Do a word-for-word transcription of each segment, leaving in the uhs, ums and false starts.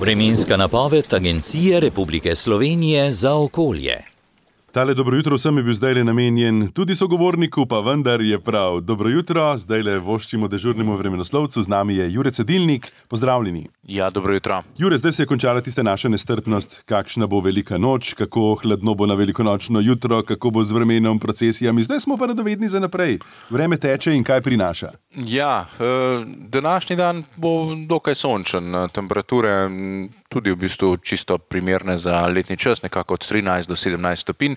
Vremenska napoved Agencije Republike Slovenije za okolje. Tale dobro jutro vsem je bil zdajle namenjen tudi sogovorniku, pa vendar je prav. Dobro jutro, zdajle voščimo dežurnemu vremenoslovcu, z nami je Jure Cedilnik. Pozdravljeni. Ja, dobro jutro. Jure, zdaj se je končala tista naša nestrpnost, kakšna bo velika noč, kako hladno bo na velikonočno jutro, kako bo z vremenom, procesijami. Zdaj smo pa radovedni za naprej. Vreme teče in kaj prinaša? Ja, današnji dan bo dokaj sončen. Temperature tudi v bistvu čisto primerne za letni čas, nekako od trinajst do sedemnajst stopinj.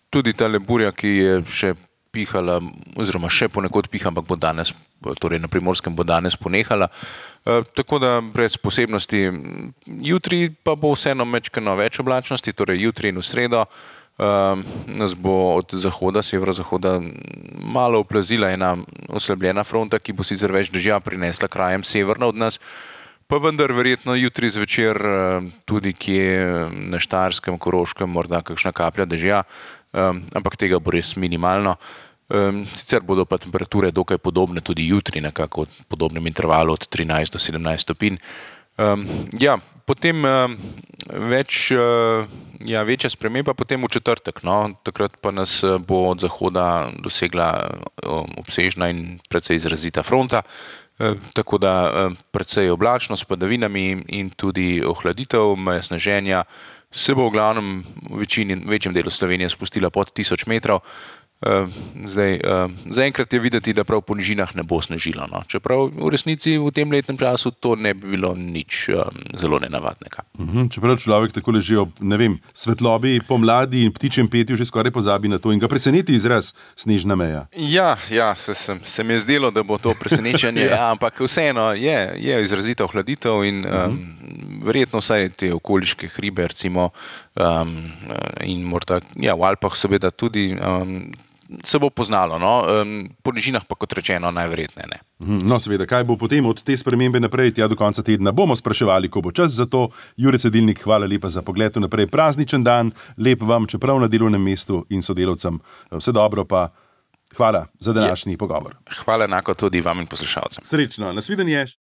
Tudi ta burja, ki je še pihala, oziroma še ponekod piha, ampak bo danes, torej na Primorskem bo danes ponehala. Tako da brez posebnosti. Jutri pa bo vseeno majčkeno več oblačnosti, torej jutri in v sredo nas bo od zahoda, severozahoda malo oplazila ena oslabljena fronta, ki bo sicer več dežja prinesla krajem severno od nas. Pa vendar verjetno jutri zvečer tudi kje na Štajerskem, Koroškem morda kakšna kaplja dežja, ampak tega bo res minimalno. Sicer bodo pa temperature dokaj podobne tudi jutri, nekako v podobnem intervalu od trinajst do sedemnajst stopinj. Ja, potem več, ja, večja sprememba potem v četrtek, no, takrat pa nas bo od zahoda dosegla obsežna in precej izrazita fronta. Tako da precej oblačno s padavinami in tudi ohladitev, meja sneženja se bo v glavnem v večini, večjem delu Slovenije spustila pod tisoč metrov. Zdaj, zaenkrat je videti, da prav po nižinah ne bo snežilo, no. Čeprav v resnici v tem letnem času to ne bi bilo nič zelo nenavadnega. Uhum, čeprav človek tako leži ob, ne vem, svetlobi pomladi in ptičjem petju že skoraj pozabi na to in ga preseneti izraz snežna meja. Ja, ja, se, se, se mi je zdelo, da bo to presenečenje, ja. Ja, ampak vseeno je, je izrazita ohladitev in um, verjetno vsaj te okoliške hribe, recimo, um, in morda, ja, v Alpah seveda tudi, um, se bo poznalo, no, po nižinah pa kot rečeno najverjetneje ne. No, seveda, kaj bo potem od te spremembe naprej, tja do konca tedna bomo spraševali, ko bo čas za to. Jure Cedilnik, hvala lepa za pogled naprej. Prazničen dan, lep vam, čeprav na delovnem mestu in sodelavcem. Vse dobro pa hvala za današnji pogovor. Hvala enako tudi vam in poslušalcem. Srečno, nasvidenje.